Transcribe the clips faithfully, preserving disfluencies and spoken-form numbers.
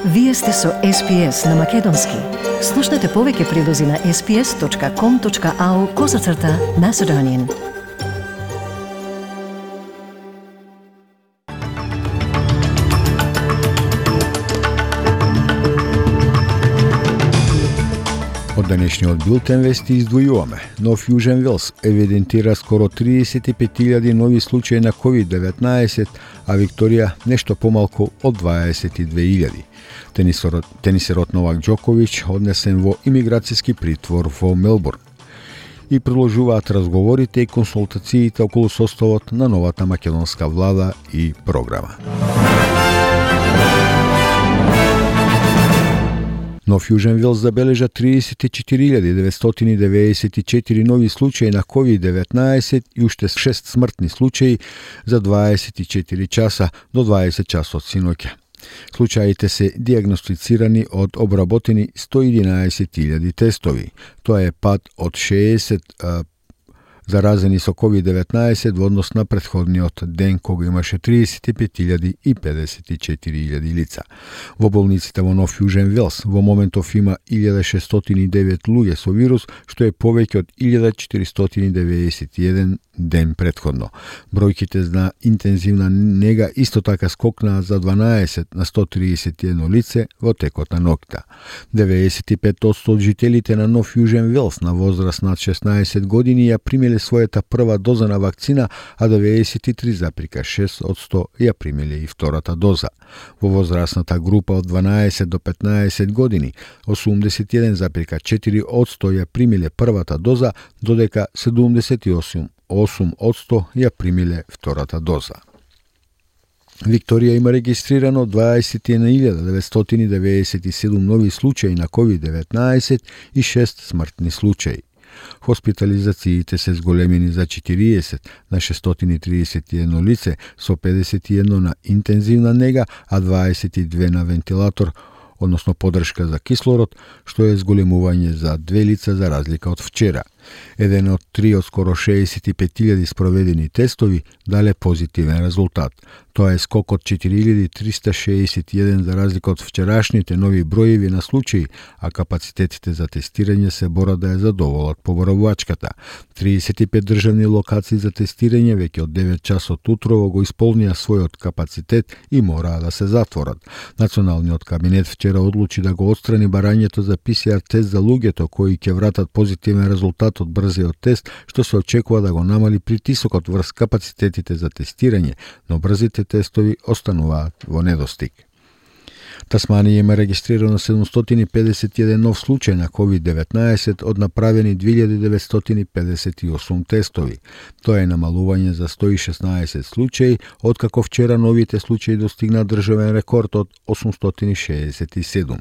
Вие сте со Ес Пи Ес на Македонски. Слушнете повеќе прилози на ес пи ес точка ком точка ау козацрта Macedonian. Од денешниот билтен вести издвојуваме. Нов Јужен Велс евидентира скоро триесет и пет илјади нови случаи на ковид деветнаесет, а Викторија нешто помалку од дваесет и две илјади. Тенисерот, тенисерот Новак Џоковиќ однесен во имиграцијски притвор во Мелбурн. И продолжуваат разговорите и консултациите околу составот на новата македонска влада и програма. Нов Јужен Велс забележа триесет и четири илјади деветстотини девеесет и четири нови случаи на ковид деветнаесет и уште шест смртни случаи за дваесет и четири часа до дваесет часот синоќа. Случаите се диагностицирани од обработени сто и единаесет илјади тестови. Тоа е пад од шеесет а, заразени со ковид деветнаесет во однос на претходниот ден кога имаше триесет и пет илјади и педесет и четири илјади лица. Во болниците во Нов Јужен Велс во моментов има илјада шестстотини и девет луѓе со вирус, што е повеќе од илјада четиристотини деведесет и еден ден претходно. Бројките на интензивна нега исто така скокнаа за дванаесет на сто триесет и едно лице во текот на ноќта. деветдесет и пет одсто од жителите на Нов Јужен Велс на возраст над шеснаесет години ја примиле својата прва доза на вакцина, а деветдесет и три зарез и шест одсто ја примиле и втората доза. Во возрастната група од дванаесет до петнаесет години, осумдесет и еден зарез и четири одсто ја примиле првата доза, додека седумдесет и осум одсто ја примиле втората доза. Викторија има регистрирано дваесет и една илјада деветстотини деведесет и седум нови случаи на ковид деветнаесет и шест смртни случаи. Хоспитализациите се зголемени за четириесет на шестстотини триесет и едно лице со педесет и едно на интензивна нега, а дваесет и две на вентилатор, односно подршка за кислород, што е зголемување за две лица за разлика од вчера. Еден од три од скоро шеесет и пет илјади спроведени тестови дале позитивен резултат. Тоа е скок од четири илјади триста шеесет и еден за разлика од вчерашните нови броеви на случаи, а капацитетите за тестирање се борат да ја задоволат поборавачката. триесет и пет државни локации за тестирање веќе од девет часот утрово го исполнија својот капацитет и мораа да се затворат. Националниот кабинет вчера одлучи да го отстрани барањето за Пи Си Ар тест за луѓето кои ќе вратат позитивен резултат од брзиот тест, што се очекува да го намали притисокот врз капацитетите за тестирање, но брзите тестови остануваат во недостиг. Тасманија има регистрирано седумстотини педесет и еден нов случај на ковид деветнаесет од направени две илјади деветстотини педесет и осум тестови. Тоа е намалување за сто и шеснаесет случаи, откако вчера новите случаи достигна државен рекорд од осумстотини шеесет и седум.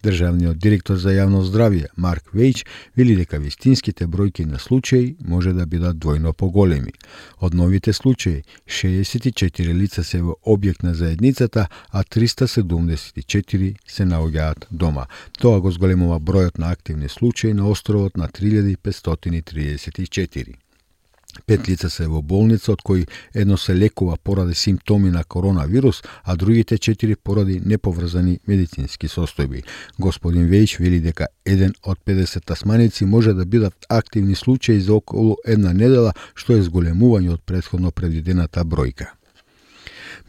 Државниот директор за јавно здравје Марк Вејч вели дека вистинските бројки на случаи може да бидат двојно поголеми. Од новите случаи, шеесет и четири лица се во објект на заедницата, а триста седумдесет и четири се наоѓаат дома. Тоа го зголемува бројот на активни случаи на островот на три илјади петстотини триесет и четири. Пет лица се во болница, од кои едно се лекува поради симптоми на коронавирус, а другите четири поради неповрзани медицински состојби. Господин Вејч вели дека еден од педесет тасманици може да бидат активни случаи за околу една недела, што е зголемување од претходно предвидената бројка.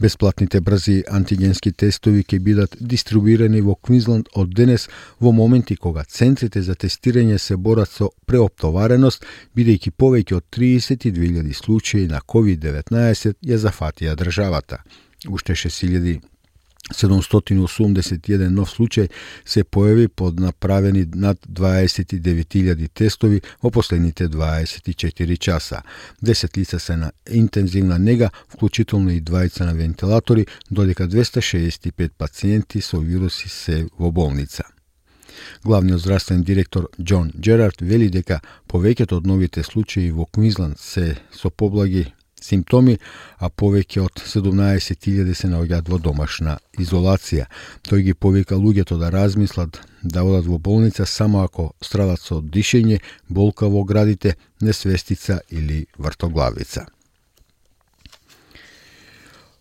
Бесплатните брзи антигенски тестови ќе бидат дистрибуирани во Квинсленд од денес во моменти кога центрите за тестирање се борат со преоптовареност, бидејќи повеќе од триесет и две илјади случаи на ковид деветнаесет ја зафатија државата. Уште шест илјади седумстотини осумдесет и еден нов случај се појави под направени над дваесет и девет илјади тестови во последните дваесет и четири часа. десет лица се на интензивна нега, вклучително и двајца на вентилатори, додека двеста шеесет и пет пациенти со вируси се во болница. Главниот здравствен директор Џон Џерард вели дека повеќето од новите случаи во Квинсленд се со поблаги симптоми, а повеќе од седумнаесет илјади се наоѓаат во домашна изолација. Тој ги повика луѓето да размислат да одат во болница само ако страдат со дишење, болка во градите, несвестица или вртоглавица.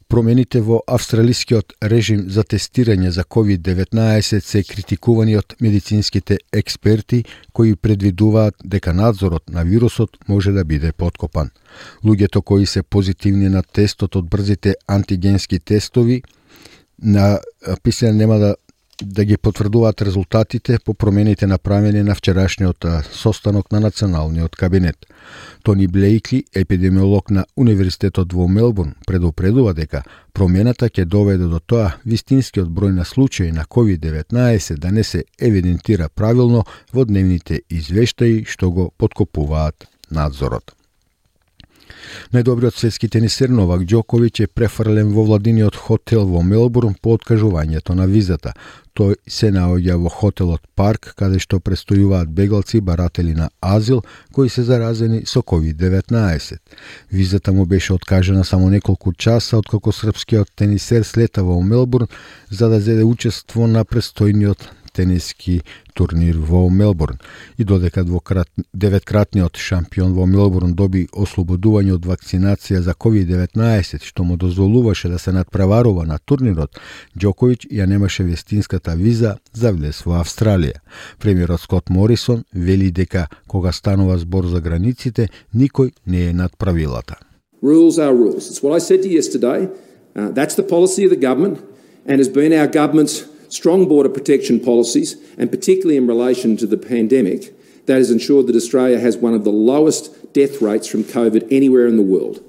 Промените во австралискиот режим за тестирање за ковид деветнаесет се критикувани од медицинските експерти кои предвидуваат дека надзорот на вирусот може да биде подкопан. Луѓето кои се позитивни на тестот од брзите антигенски тестови на писане нема да да ги потврдуваат резултатите по промените направени на вчерашниот состанок на националниот кабинет. Тони Блейкли, епидемиолог на Универзитетот во Мелбурн, предупредува дека промената ќе доведе до тоа вистинскиот број на случаи на ковид деветнаесет да не се евидентира правилно во дневните извештаи што го подкопуваат надзорот. Најдобриот светски тенисер Новак Џоковиќ е префрлен во владиниот хотел во Мелбурн по откажувањето на визата. Тој се наоѓа во хотелот Парк, каде што престојуваат бегалци баратели на азил кои се заразени со ковид деветнаесет. Визата му беше откажена само неколку часа откако српскиот тенисер слета во Мелбурн за да зеде учество на престојниот тениски турнир во Мелбурн. И додека двократ, деветкратниот шампион во Мелбурн доби ослободување од вакцинација за ковид деветнаесет, што му дозволуваше да се надпреварува на турнирот, Џоковиќ ја немаше вестинската виза за влез во Австралија. Премиерот Скот Морисон вели дека кога станува збор за границите, никој не е над правилата. Rules are rules. It's what I said to you yesterday. Uh, that's the policy of the government and has been our government's strong border protection policies, and particularly in relation to the pandemic, that has ensured that Australia has one of the lowest death rates from COVID anywhere in the world.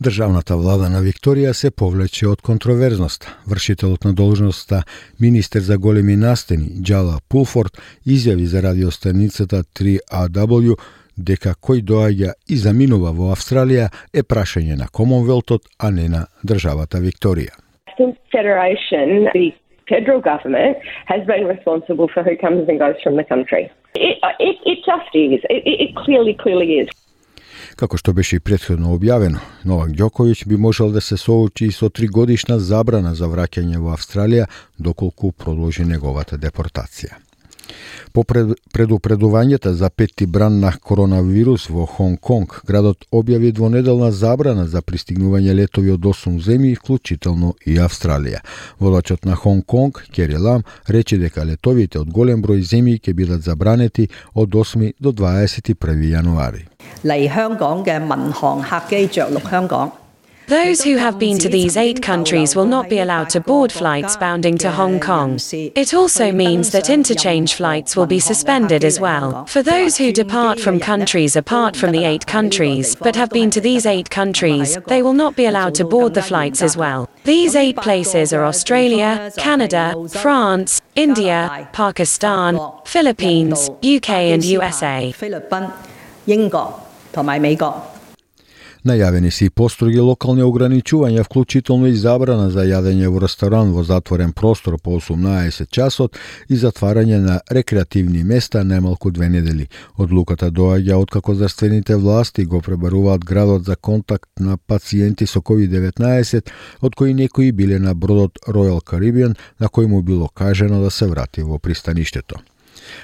Државната влада на Викторија се повлече од контроверзноста. Вршителот на должноста министер за големи настани Джала Пулфорд изјави за радиостаницата три А Дабљу дека кој доаѓа и заминува во Австралија е прашање на Комонвелтот, а не на државата Викторија. Federation, the federal government has been responsible for who comes and goes from the country. It, it, it just is. It, it clearly, clearly is. Како што беше и претходно објавено, Новак Џоковиќ би можел да се соочи со тригодишна забрана за враќање во Австралија доколку продолжи неговата депортација. По предупредувањата за петти бран на коронавирус во Хонг Конг, градот објави двонеделна забрана за пристигнување летови од осум земји, вклучително и Австралија. Водачот на Хонг Конг, Кери Лам, рече дека летовите од голем број земји ќе бидат забранети од осми до дваесет и први јануари. 嚟香港嘅民航客機着陸香港。 Those who have been to these eight countries will not be allowed to board flights bounding to Hong Kong. It also means that interchange flights will be suspended as well. For those who depart from countries apart from the eight countries, but have been to these eight countries, they will not be allowed to board the flights as well. These eight places are Australia, Canada, France, India, Pakistan, Philippines, U K and U S A. 菲律賓、英國同埋美國。 Најавени се и построги локални ограничувања, вклучително и забрана за јадење во ресторан во затворен простор по осумнаесет часот и затварање на рекреативни места најмалку две недели. Одлуката доаѓа откако здравствените власти го пребаруваат градот за контакт на пациенти со ковид деветнаесет, од кои некои биле на бродот Royal Caribbean, на кој му било кажано да се врати во пристаништето.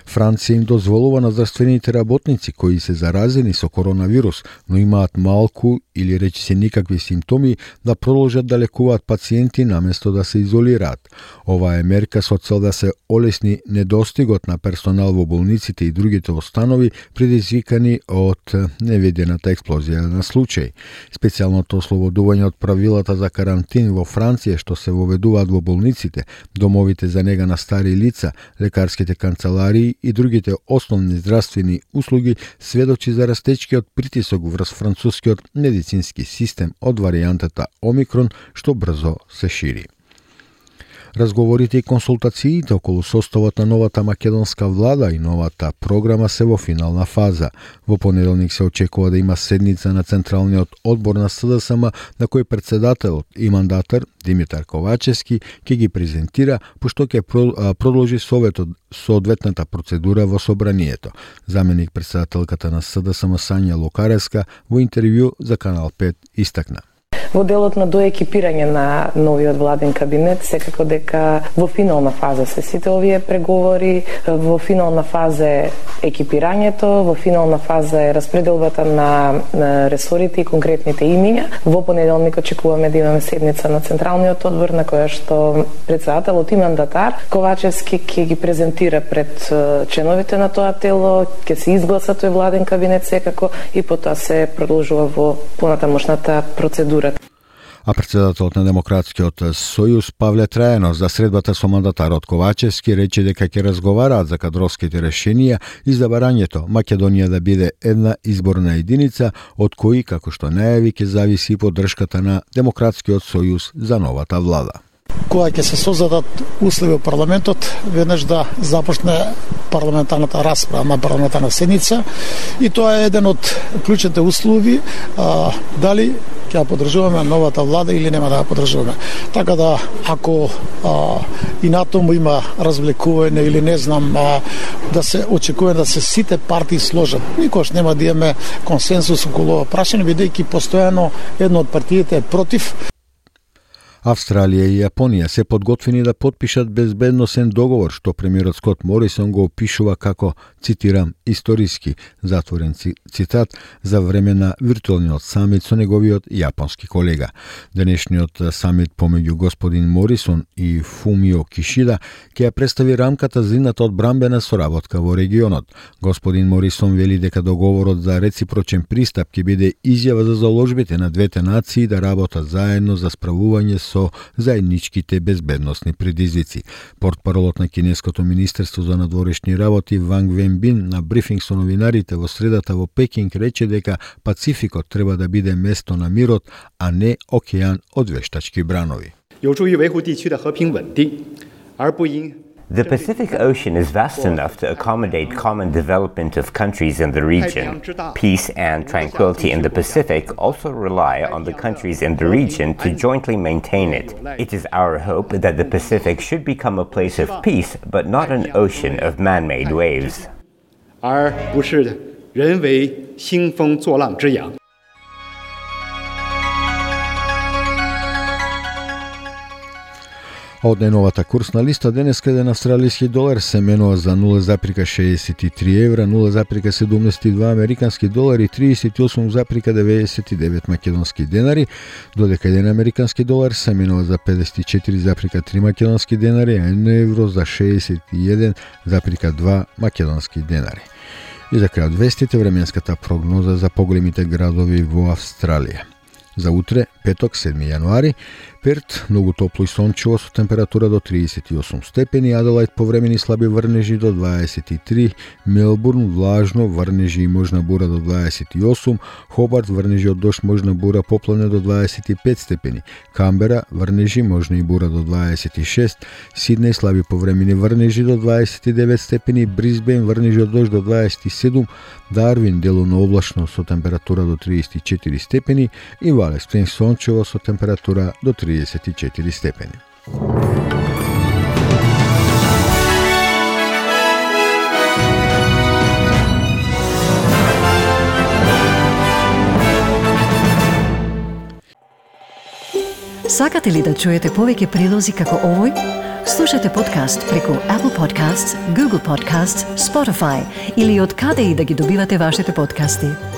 Франција им дозволува на здравствените работници кои се заразени со коронавирус, но имаат малку или речи се никакви симптоми, да продолжат да лекуваат пациенти наместо да се изолираат. Ова е мерка со цел да се олесни недостигот на персонал во болниците и другите установи предизвикани од невидената експлозија на случаи. Специјалното ослободување од правилата за карантин во Франција што се воведуваат во болниците, домовите за нега на стари лица, лекарските канцеларии и другите основни здравствени услуги сведочи за растечкиот притисок врз францускиот медицински систем од варијантата Омикрон што брзо се шири. Разговорите и консултациите околу составот на новата македонска влада и новата програма се во финална фаза. Во понеделник се очекува да има седница на Централниот одбор на С Д С М, на кој председателот и мандатар Димитар Ковачевски ќе ги презентира, пошто ќе продолжи советот соодветната процедура во собранието. Заменик председателката на С Д С М Сања Лукаревска во интервју за Канал пет истакна. Во делот на доекипирање на новиот владен кабинет, секако дека во финална фаза се сите овие преговори, во финална фаза е екипирањето, во финална фаза е распределбата на, на ресорите и конкретните имиња. Во понеделник очекуваме да имаме седница на Централниот одбор на која што председателот и мандатар Ковачевски ќе ги презентира пред членовите на тоа тело, ќе се изгласа тој владен кабинет секако и потоа се продолжува во понатамошната процедура. А председателот на Демократскиот сојуз Павле Трајанов за средбата со мандатарот Ковачевски рече дека ќе разговараат за кадровските решенија и за барањето Македонија да биде една изборна единица, од кои, како што најави, ќе зависи поддршката на Демократскиот сојуз за новата влада. Кога ќе се создадат услови во парламентот, веднаш да започне парламентарната расправа на парламентарна седница и тоа е еден од клучните услови, а, дали ќе ја поддржуваме новата влада или нема да ја поддржуваме. Така да, ако а, и на тому има развлекување или не знам, а, да се очекува да се сите партии сложат. Никош нема да имаме консенсус околу ова прашање, бидејќи постојано една од партиите е против. Австралија и Јапонија се подготвени да потпишат безбедносен договор, што премиерот Скот Морисон го опишува како, цитирам, историски, затворен цитат, за време на виртуелниот самит со неговиот јапонски колега. Денешниот самит помеѓу господин Морисон и Фумио Кишида ќе ја представи рамката за идната одбрамбена соработка во регионот. Господин Морисон вели дека договорот за реципрочен пристап ќе биде изјава за заложбите на двете нации да работат заедно за справување со заедничките безбедносни предизвици. Портпаролот на Кинеското министерство за надворешни работи Ванг Венбин на брифинг со новинарите во средата во Пекинг рече дека Пацификот треба да биде место на мирот, а не океан од вештачки бранови. The Pacific Ocean is vast enough to accommodate common development of countries in the region. Peace and tranquility in the Pacific also rely on the countries in the region to jointly maintain it. It is our hope that the Pacific should become a place of peace, but not an ocean of man-made waves. 而不是人为兴风作浪之养。 Од најновата курсна листа денеска еден австралиски долар се менува за нула запирка шеесет и три евра, нула запирка седумдесет и два американски долари и триесет и осум запирка деветдесет и девет македонски денари, додека еден американски долар се менува за педесет и четири запирка три македонски денари, а едно евро за шеесет и еден запирка два македонски денари. И за крај од вестите, временската прогноза за поголемите градови во Австралија. За утре, петок, седми јануари, Перт многу топло и сончево со температура до триесет и осум степени, Аделајд повремени слаби врнежи до дваесет и три, Мелбурн влажно, врнежи и можна бура до дваесет и осум, Хобарт врнежи од дожд, можна бура, поплане до дваесет и пет степени, Камбера врнежи, можна и бура до дваесет и шест, Сиднеј слаби повремени врнежи до дваесет и девет степени, Брисбен врнежи од дожд до дваесет и седум, Дарвин делумно облачно со температура до триесет и четири степени и Вале Спрингс сончево со температура до триесет и четири степени. Сакате ли да чуете повеќе прилози како овој? Слушате подкаст преку Apple Podcasts, Google Podcasts, Spotify или од каде и да ги добивате вашите подкасти.